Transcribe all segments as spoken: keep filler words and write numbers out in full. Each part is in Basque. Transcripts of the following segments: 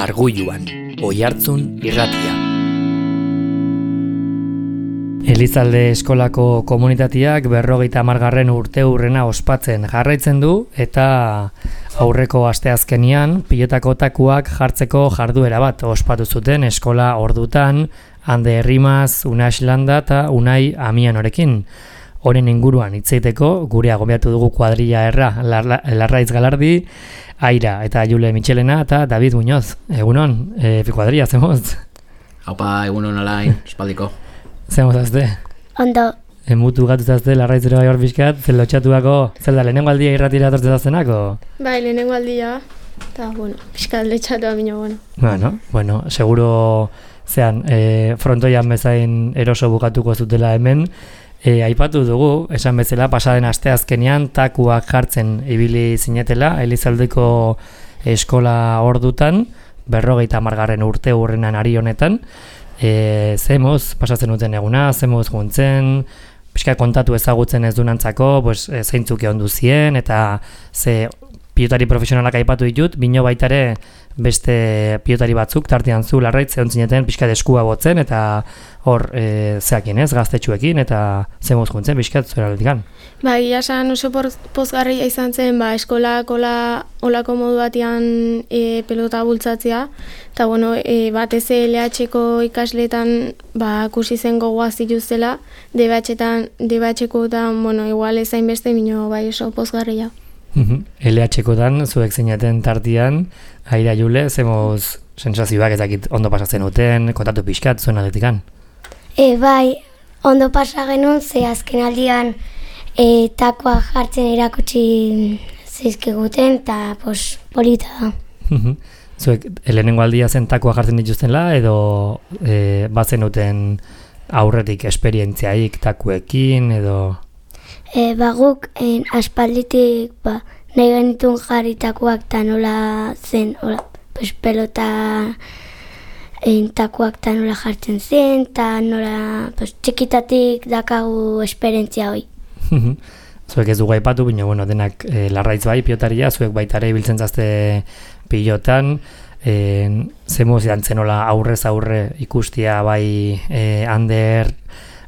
Arguluan, Oihartzun irratia. Elizalde eskolako komunitateak berrogeita hamargarren urte hurrena ospatzen jarraitzen du eta aurreko asteazkenean pilotako takuak jartzeko jarduera bat ospatu zuten eskola ordutan Ande Herrimaz, Unai Landa eta Unai Amianorekin. Horen inguruan hitzeiteko gure agobiatu dugu kuadrilla erra Larraiz Galardi, Aira eta Jule Michelena eta David Muñoz. Egunon, e, kuadrilla, zemoz? Haupa, egunon alain, espaldiko. Zemoz azte? Ondo. Emutu gatuzazte Larraizero bai hor bizkat, zel lotxatuako, zel da, lehenengo aldia irratira tortzezaztenako? Bai, lehenengo aldia, eta, bueno, bizkat letxatua bino, bueno. Bueno, bueno, seguro zean, e, frontoian bezain eroso bukatuko zutela hemen, E, aipatu dugu, esan bezala, pasaden asteazkenean takuak jartzen ibili zinetela, Elizaldeko eskola ordutan, berrogeita hamargarren urte hurrenan ari honetan. E, zemoz, pasatzen duten eguna, zemoz juntzen, pixka kontatu ezagutzen ez dunantzako, pues, e, zeintzuk egon duzien, eta ze pilotari profesionalak aipatu ditut, bino baitare beste pilotari batzuk, tartean zu Larraitz, egon zineten pixka eskua botzen, eta hor e, zeakin ez, gaztetxuekin, eta zemoz juntzen, pixka zuera letikan. Ba, egia esan oso pozgarria izan zen, ba, eskolak ola, olako modu batean e, pelota bultzatzea, eta bueno, e, batez L H-ko ikasleetan ba, kusi zen gogoa zituztela, D B H-etan, D B H-koetan, bueno, igual ezain beste, bino bai oso pozgarria. L H-kotan, zuek zinaten tartian, Aira Jule, zemoz sensazioak ezakit ondo pasatzen duten, kontatu pixkat, zuen aldetikan? E, bai, ondo pasa genuen, ze azken aldian e, takoa jartzen erakutsi zizkiguten, eta pos, polita da. Zuek, lehenengo aldia zen takoa jartzen dituztenla, edo e, batzen duten aurretik esperientziaik takuekin, edo... E, baguk, en, aspalditik, ba, nahi genitun jarritakoak eta nola zen, ola, pues, pelota en, takoak eta nola jartzen zen, eta nola, pues, txikitatik dakagu esperientzia hoi. Zuek ez dugu aipatu, baina, bueno, denak e, Larraitz bai, pilotaria, zuek baitare ibiltzen zazte pilotan, e, zemoz jantzen nola aurrez aurre ikustia bai e, Ander,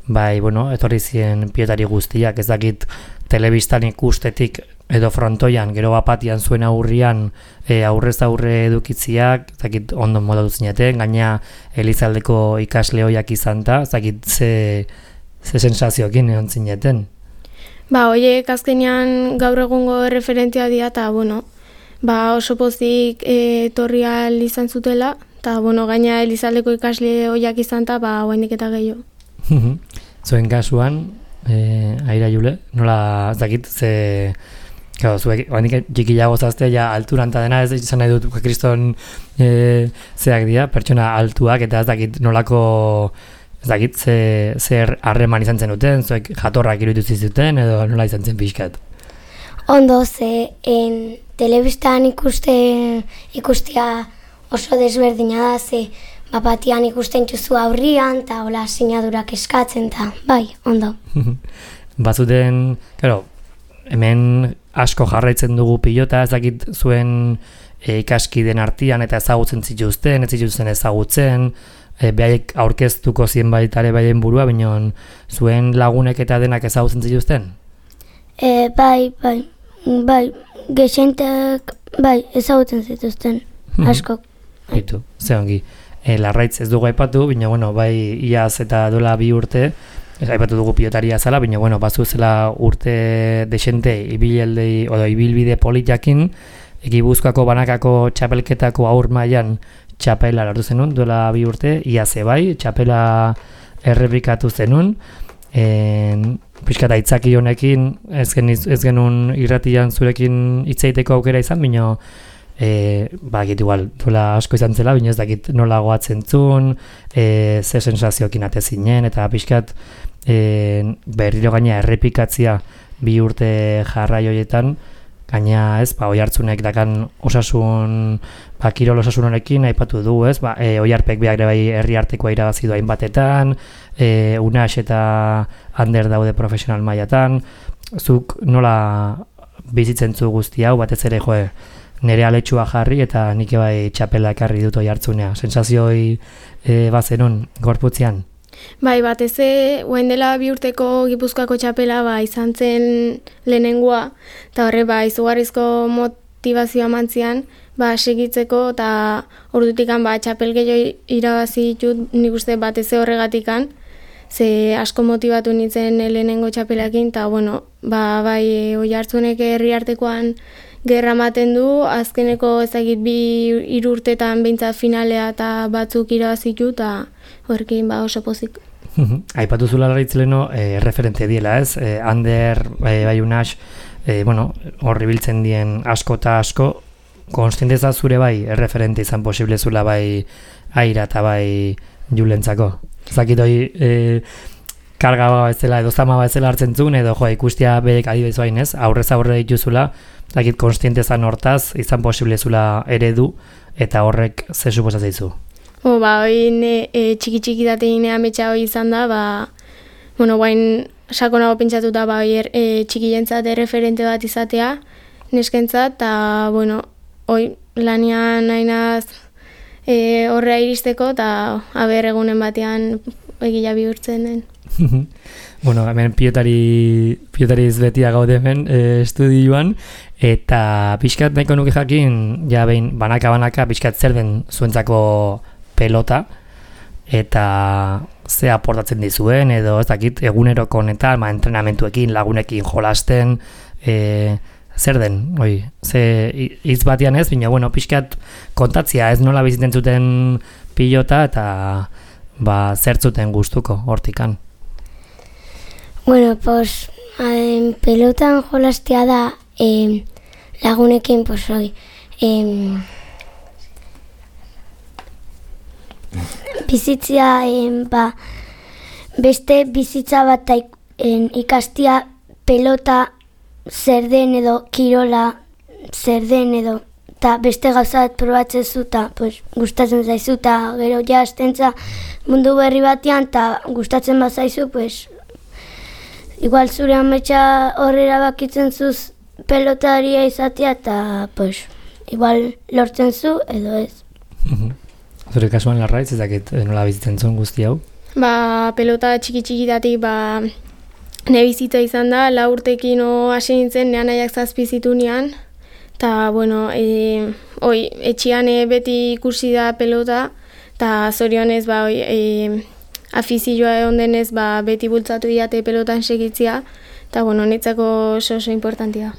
bai, bueno, etorri ziren pilotari guztiak, ez dakit telebistan ikustetik edo frontoian, gero bapatian zuen aurrian e, aurrez aurre edukitziak, ez dakit ondo modatu zineten, gaina Elizaldeko ikasle hoiak izan da, ez dakit ze, ze sensazioekin egon zineten. Ba, horiek azkenean gaur egungo referentzia dira, eta, bueno, ba, oso pozik e, torri ahal izan zutela, eta, bueno, gaina Elizaldeko ikasle hoiak izan da, ba, guainik eta gehiago. Zuen kasuan, e, Aira Jule, nola ez dakit, ze, claro, zuek, oandik txikiago zazte, ja, alturanta dena, ez izan nahi dut, kriston e, zeak dira, pertsona altuak, eta ez dakit nolako, ez dakit, ze, zer harreman izan zen duten, zuek jatorrak iruditu zizuten, edo nola izan zen pixkat? Ondo, ze, en, telebistan ikuste, ikustia oso desberdina da, ze, bapatian ikusten txuzu aurrian, eta hola sinadurak eskatzen, eta bai, ondo. Bazuten, claro, hemen asko jarraitzen dugu pilota, ez dakit zuen e, ikaskiden artean eta ezagutzen zituzten, ez zituzten ezagutzen, e, behaiek aurkeztuko zien baitare baien burua, baina zuen lagunek eta denak ezagutzen zituzten? E, bai, bai, bai, gexentek, bai, ezagutzen zituzten, asko. Hitu, ze ongi. E, Larraitz ez dugu aipatu, baina bueno, bai iaz eta dola bi urte, aipatu dugu pilotaria zala, baina bueno, bazu zela urte desente ibilbide odo ibilbide politakin, Gipuzkoako banakako txapelketako aur mailan txapela lortu zenun, dola bi urte, iaze bai, txapela errepikatu zenun, en, pixkat aitzaki honekin, ez, gen, ez genuen irratian zurekin hitzeiteko aukera izan, baina E, ba, egit igual, dola asko izan zela, bine ez dakit nola goatzen zuen, e, ze sensazioekin ate zinen, eta pixkat e, berriro gaina errepikatzia bi urte jarrai horietan, gaina ez, ba, Oihartzunek dakan osasun, ba, kirol osasun honekin aipatu du, ez, ba, e, Oiharpek behar ere bai herri artekoa irabazi du hainbatetan, e, Unax eta Ander daude profesional mailatan, zuk nola bizitzen zu guzti hau, batez ere, joe, nere aletxua jarri eta nik bai txapela ekarri dut oi hartzunea. Sensazioi e, bazenun gorputzean? Bai, batez ere, guen dela bi urteko Gipuzkoako txapela ba, izan zen lehenengoa, eta horre ba, izugarrizko motivazioa mantzian, ba, segitzeko, eta ordutikan ba, txapel gehiago irabazi ditut nik uste batez ere horregatikan, ze asko motibatu nintzen lehenengo txapelakin, eta bueno, ba, bai, oi hartzunek herri artekoan gerra ematen du, azkeneko ezagit bi hiru urtetan behintzat finalea eta batzuk irabazitu, eta horrekin ba oso pozik. Aipatu zula Larraitz leno, e, referente diela, ez? E, Ander, e, bai unas, e, bueno, horri biltzen dien asko eta asko, konstienteza zure bai, erreferente izan posible zula bai aira eta bai julentzako. Zakit hoi, e, karga bezala edo zama bezala hartzen zuen, edo jo, ikustia behek adibidez bain, ez? Aurrez aurre dituzula, zakit konstientezan hortaz, izan posible zula eredu, eta horrek ze suposatzizu. O, ba, hoi e, txiki-txiki datein ametsa hoi izan da, ba, bueno, guain sakonago pentsatuta, ba, hoi er, e, txikientzat erreferente bat izatea, neskentzat, eta, bueno, hoi lanian nainaz e, horrea iristeko, eta haber egunen batean egila bihurtzen den. Bueno, hemen pilotari, pilotari izbetia gaude hemen e, estudioan, eta pixkat nahiko nuke jakin, ja behin banaka-banaka pixkat zer den zuentzako pelota, eta ze aportatzen dizuen, edo ez dakit eguneroko honetan, ma, entrenamentuekin, lagunekin jolasten, e, zer den, oi, ze hitz batian ez, baina, bueno, pixkat kontatzia, ez nola bizitzen zuten pilota, eta ba, zer zuten gustuko hortikan. Bueno, pues, eh, pelotan jolastea da eh, lagunekin, pues, oi, eh, bizitzia, eh, ba, beste bizitza bat eh, ikastia pelota zer den edo kirola zer den edo eta beste gauza bat probatzen zu eta pues, gustatzen zaizu eta gero ja astentza mundu berri batean eta gustatzen bazaizu pues, igual zure ametsa horrera bakitzen zuz pelotaria izatea eta pues, igual lortzen zu edo ez. Zure kasuan Larraitz, ez dakit nola bizitzen zuen guzti hau? Ba, pelota txiki-txikitatik, ba, ne bizitza izan da, lau urtekin hasi nintzen, nean nahiak zazpi zitunean, eta, bueno, e, oi, etxian e, beti ikusi da pelota, eta zorionez, ba, oi, e, afizioa egon denez, ba, beti bultzatu diate pelotan segitzia, eta, bueno, netzako oso oso importantia.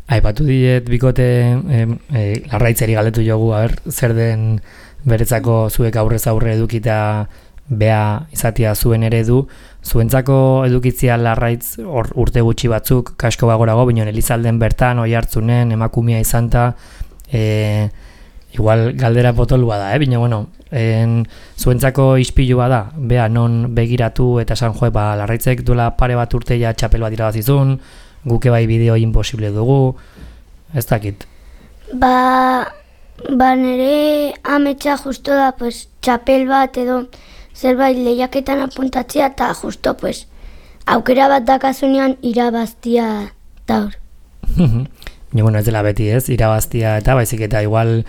Aipatu diet bikote eh, eh, Larraitzeri galdetu jogu, a ber, zer den beretzako zuek aurrez aurre edukita bea izatea zuen eredu, zuentzako edukitzia Larraitz or, urte gutxi batzuk, kasko bagorago, bino Elizalden bertan, oi hartzunen, emakumia izan ta, e, igual galdera potolua da, eh? Bino, bueno, en, zuentzako ispilua da, bea non begiratu eta esan joe, ba, Larraitzek duela pare bat urte ja txapel bat irabazizun, guke bai bideo imposible dugu, ez dakit. Ba, ba nire ametsa justo da, pues, txapel bat edo zerbait lehiaketan apuntatzea eta justo, pues, aukera bat dakazunean irabaztia daur. Ja, bueno, ez dela beti ez, irabaztia eta baizik eta igual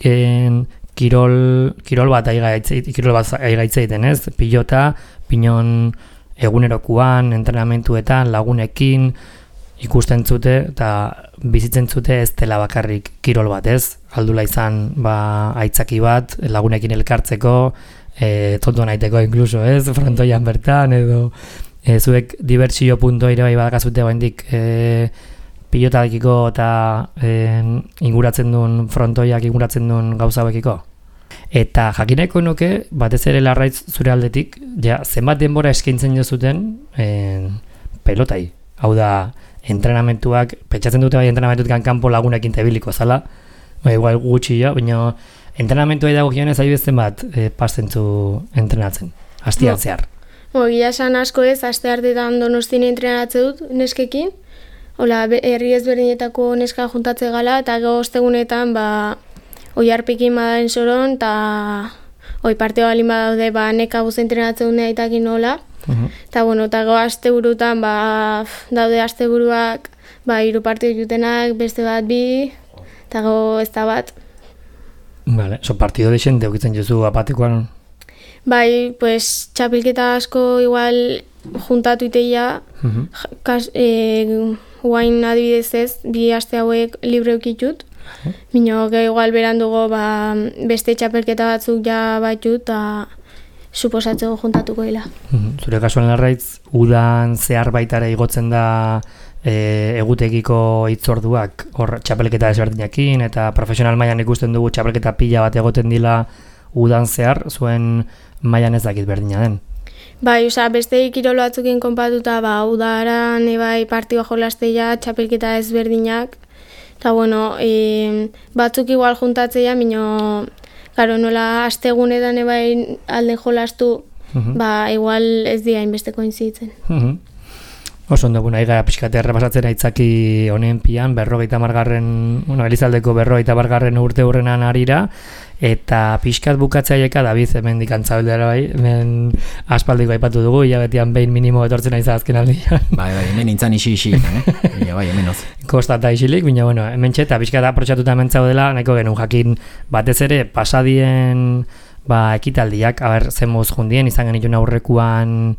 en, kirol, kirol bat aigaitzeiten ez, pilota, pinon egunerokuan, entrenamentuetan, lagunekin, ikusten zute eta bizitzen zute ez dela bakarrik kirol bat ez, aldula izan ba, aitzaki bat, lagunekin elkartzeko, e, tonto naiteko inkluso ez, frontoian bertan edo e, zuek dibertsio punto ere bai badakazute baindik e, pilotakiko eta e, inguratzen duen frontoiak inguratzen duen gauza bekiko. Eta jakineko nuke, batez ere Larraitz zure aldetik, ja, zenbat denbora eskaintzen jozuten e, pelotai. Hau da, entrenamentuak, pentsatzen dute bai entrenamentuak kanpo lagunekin tebiliko zala, bai, igual gutxi jo, baina entrenamentua dago gionez adibidez bat e, pastentzu entrenatzen, astian zehar. Bo, gila esan asko ez, aste hartetan Donostien entrenatze dut neskekin, hola, herri ezberdinetako neska juntatze gala, eta gero ostegunetan, ba, oi harpekin badaren soron, eta oi parteo balin badaude, ba, neka buz entrenatzen dut aitakin nola, eta, uh-huh. bueno, eta go asteburutan, ba, daude asteburuak, ba, hiru partio jutenak, beste bat bi, eta go ez da bat. Vale, so partido de xente ukitzen jozu apatikoan? Bai, pues, txapelketa asko igual juntatu iteia, Uh-huh. kas, e, guain adibidez ez, bi aste hauek libre ukitut, uh-huh. Bino, ge igual berandugo ba, beste txapelketa batzuk ja batut, eta suposatzeko juntatuko dela. Uh-huh. Zure kasuan larraitz, udan zehar baitara igotzen da e, egutegiko hitzorduak, hor txapelketa desberdinekin, eta profesional mailan ikusten dugu txapelketa pila bat egoten dila udan zehar, zuen mailan ez dakit berdina den. Bai, osea, beste kirol batzukin konpatuta, ba, udaran ebai partioa jolasteia, txapelketa ezberdinak, eta bueno, e, batzuk igual juntatzeia, mino, claro, nola astegunetan ebai alde jolastu, uh-huh. Ba, igual ez dira inbesteko inzitzen. Uh-huh. Oso ondo, bueno, aiga pixkate errepasatzen aitzaki honen pian, berrogeita margarren, bueno, Elizaldeko berrogeita margarren urte hurrenan arira, eta pixkat bukatzaieka, David, hemen dikantzabeldera bai, hemen aspaldiko aipatu dugu, hilabetean behin minimo etortzen aiza azken aldian. Bai, bai, hemen intzan isi-isi, eh? Ia, bai, hemen oz. Kostata isilik, baina, bueno, hemen txeta pixkat aprotxatuta hemen zaudela, nahiko genuen jakin batez ere, pasadien, ba, ekitaldiak, haber, zen moz jundien, izan genituen aurrekuan,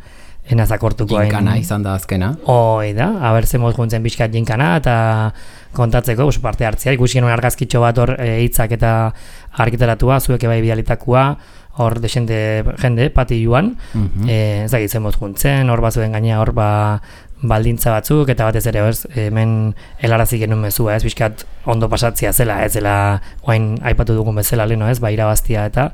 enazakortuko hain. Jinkana izan da azkena. Hoi da, haber zemoz juntzen pixkat jinkana eta kontatzeko, oso parte hartzea, ikusi genuen argazkitxo bat hor e, hitzak eta argitaratua, zuek ebai bidalitakoa, hor desente jende, pati joan, uh-huh. e, ez dakit zemoz juntzen, hor bazuen gaina hor ba, baldintza batzuk, eta batez ere ez, hemen helarazi genuen mezua, ez pixkat ondo pasatzea zela, ez zela, oain aipatu dugun bezala leno, ez, ba irabaztia eta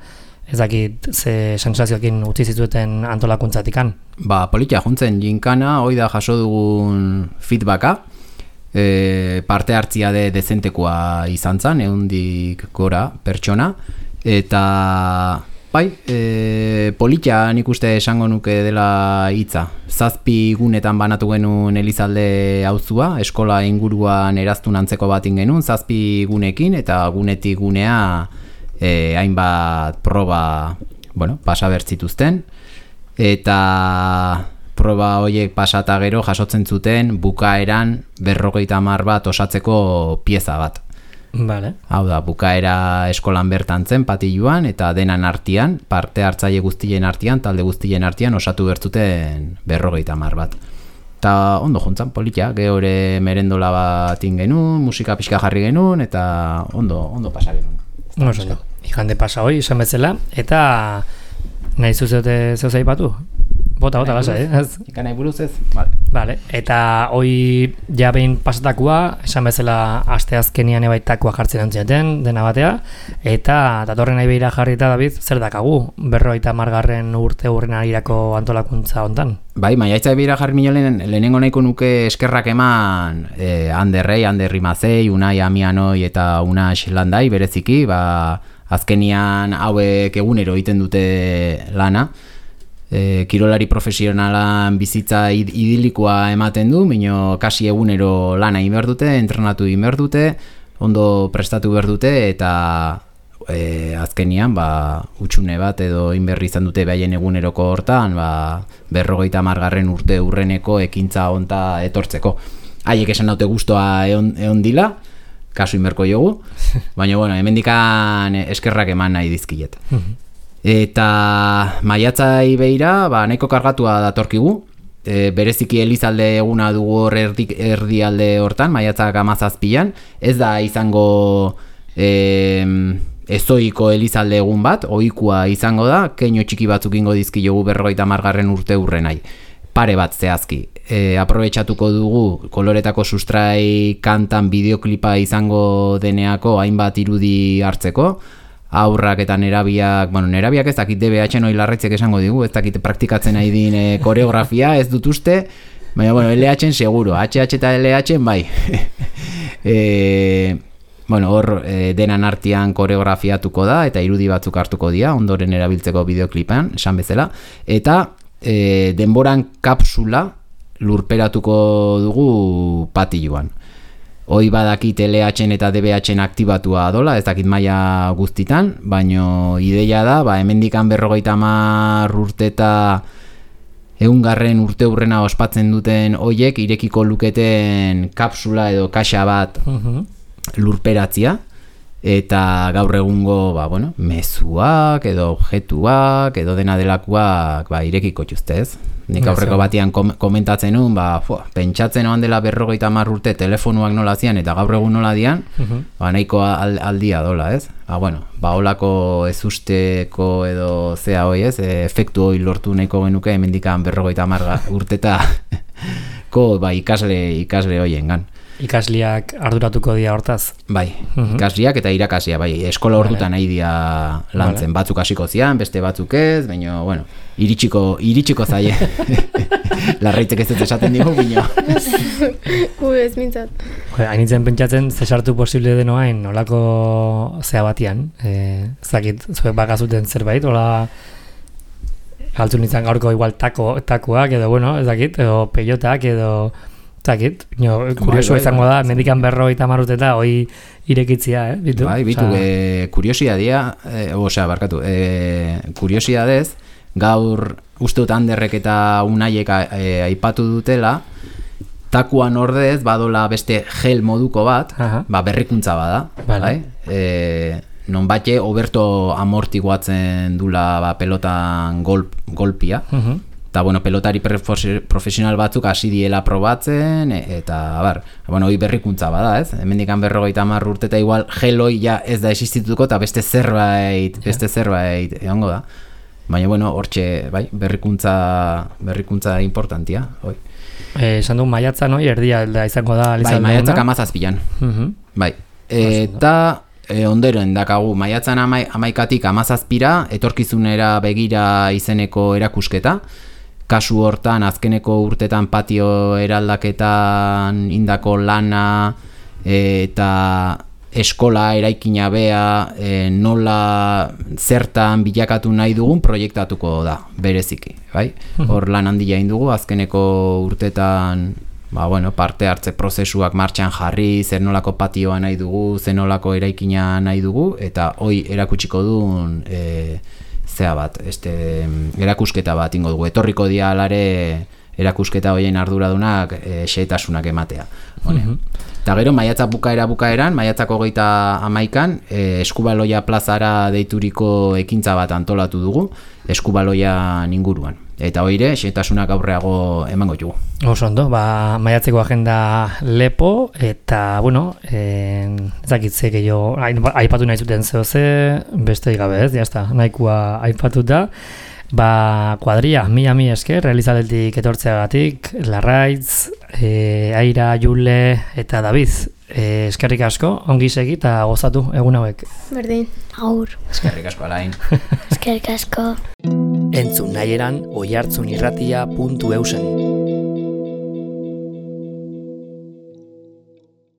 ez dakit ze sensazioekin utzi zituzten antolakuntzatikan. Ba, politia juntzen jinkana, hoi da jaso dugun feedbacka, e, parte hartzia de dezentekoa izan zen, ehundik gora pertsona, eta bai, e, politia nik uste esango nuke dela hitza. Zazpi gunetan banatu genuen Elizalde auzua, eskola inguruan eraztun antzeko batin genuen, zazpi gunekin, eta gunetik gunea E, hainbat proba bueno, pasa bertzituzten eta proba horiek pasata gero jasotzen zuten bukaeran berrogeita hamar bat osatzeko pieza bat. Vale. Hau da, bukaera eskolan bertan zen patiluan eta denan artean, parte hartzaile guztien artean, talde guztien artean osatu bertzuten berrogeita hamar bat. Eta ondo juntzan, politia, gehore merendola bat ingenun, musika pixka jarri genuen eta ondo, ondo pasa genuen. Oso ondo. Ikande pasa hoi, esan bezala, eta nahi zuzeote zeuz aipatu? Bota, bota, lasa, eh? Ikan nahi buruz ez? Vale. Vale. Eta hoi ja behin pasatakoa, esan bezala aste azkenian ebaitakoa jartzen antzioten, dena batea, eta datorren nahi behira jarri eta David, zer dakagu, berrogeita margarren urte hurren arirako antolakuntza hontan? Bai, maiatza behira jarri minolen, lehenengo nahiko nuke eskerrak eman eh, Anderrei, Anderri Mazei, Unai Amianoi eta Unas Landai bereziki, ba, azkenian hauek egunero egiten dute lana. E, kirolari profesionalan bizitza idilikoa ematen du, mino kasi egunero lana inber dute, entrenatu inber dute, ondo prestatu behar dute, eta e, azkenian ba, utxune bat edo inberri izan dute behaien eguneroko hortan, ba, berrogeita margarren urte urreneko ekintza honta etortzeko. Haiek esan daute guztua egon, egon dila, kasu inberko jogu, baina bueno, hemendikan eskerrak eman nahi dizkiet. Eta maiatzai beira, ba, nahiko kargatua datorkigu, e, bereziki Elizalde eguna dugu hor erdi, erdialde hortan, maiatzak hamazazpian, ez da izango e, ezoiko Elizalde egun bat, ohikoa izango da, keino txiki batzuk ingo dizki jogu berrogeita margarren urte urrenai, pare bat zehazki. E, aprobetxatuko dugu koloretako sustrai kantan bideoklipa izango deneako hainbat irudi hartzeko, aurrak eta nerabiak, bueno, nerabiak ez dakit D B H-en hoi larretzek esango digu, ez dakit praktikatzen nahi din e, koreografia, ez dut uste, baina, bueno, L H-en seguro, H H eta L H-en bai. e, bueno, hor e, denan artean koreografiatuko da, eta irudi batzuk hartuko dira, ondoren erabiltzeko bideoklipan, esan bezala, eta e, denboran kapsula lurperatuko dugu patiluan. Hoi badakit L H-en eta D B H-en aktibatua dola, ez dakit maila guztitan, baino ideia da, ba, hemendikan berrogeita hamar urte eta eungarren urte hurrena ospatzen duten hoiek irekiko luketen kapsula edo kaxa bat uh-huh. lurperatzia, eta gaur egungo, ba, bueno, mezuak edo objektuak edo dena delakoak ba, irekiko txuztez. Nik aurreko batean kom komentatzen nuen, ba, fua, pentsatzen oan dela berrogeita hamar urte telefonuak nola zian eta gaur egun nola dian, uh -huh. ba, nahiko al, aldia dola, ez? Ba, bueno, ba, holako ez usteko edo zea hoi, ez? E, efektu hoi lortu nahiko genuke hemendikan berrogeita hamar urteta ko, ba, ikasle, ikasle hoien gan. Ikasliak arduratuko dira hortaz? Bai, uh-huh. ikasliak eta irakasia, bai, eskola ordutan nahi dira lantzen, vale. Batzuk hasiko zian, beste batzuk ez, baina, bueno, iritsiko, iritsiko zaie. Larraitzek ez dut esaten digu, bino. Ui, ez mintzat. Hainitzen pentsatzen, zesartu posible denoain, olako zea batian, e, zakit, zuek bakazuten zerbait, ola galtzun nintzen gaurko igual tako, takoak, edo, bueno, ez dakit, edo peiotak, edo... Zakit, kurioso izango da, mendikan berrogeita hamar urteta, hoi irekitzia, eh? Bitu? Bai, bitu, e, kuriosidadea, e, osea, barkatu, e, kuriosidadez, gaur uste dut Anderrek eta Unaiek e, aipatu dutela, takuan ordez badola beste gel moduko bat, aha. Ba, berrikuntza bada, vale. Bai? E, non bate oberto amortiguatzen dula ba, pelotan golp, golpia, uh-huh. Eta, bueno, pelotari profesional batzuk hasi diela probatzen, eta, bar, bueno, hoi berrikuntza bada, ez? Hemendikan berrogeita hamar urteta igual geloi ja ez da existituko, eta beste zerbait, beste zerbait egongo da. Baina, bueno, hortxe, bai, berrikuntza, berrikuntza importantia, hoi. Eh, esan du maiatzan, hoi, erdia da izango da. Bai, maiatzak amazazpilan. Uh-huh. Bai, eta... E, ondoren dakagu, maiatzan amai, amaikatik amazazpira, etorkizunera begira izeneko erakusketa. Kasu hortan, azkeneko urtetan patio eraldaketan indako lana e, eta eskola eraikina bea e, nola zertan bilakatu nahi dugun proiektatuko da, bereziki. Bai? Hor lan handia indugu, azkeneko urtetan... Ba, bueno, parte hartze prozesuak martxan jarri, zer nolako patioa nahi dugu, zer nolako eraikina nahi dugu, eta hoi erakutsiko duen e, zea bat, este, erakusketa bat ingo dugu. Etorriko dia alare erakusketa hoien arduradunak e, xehetasunak ematea. Mm-hmm. Eta gero, maiatzak bukaera bukaeran, maiatzak hogeita amaikan, e, Eskubaloia plazara deituriko ekintza bat antolatu dugu, Eskubaloian inguruan. Eta hoire, xehetasunak aurreago emango jugu. Oso ondo, ba, maiatzeko agenda lepo, eta, bueno, ezakitze gehiago, aipatu nahi zuten zeo ze, beste gabe ez, jazta, nahikoa aipatuta. Ba, kuadria, mila mi esker, realizaletik etortzeagatik, Larraitz, e, Aira, Jule eta David. E, eskerrik asko, ongi segi eta gozatu egun hauek. Berdin. Aur. Eskerrik asko, Alain. Eskerrik asko. Entzun nahieran oihartzunirratia puntu eusen.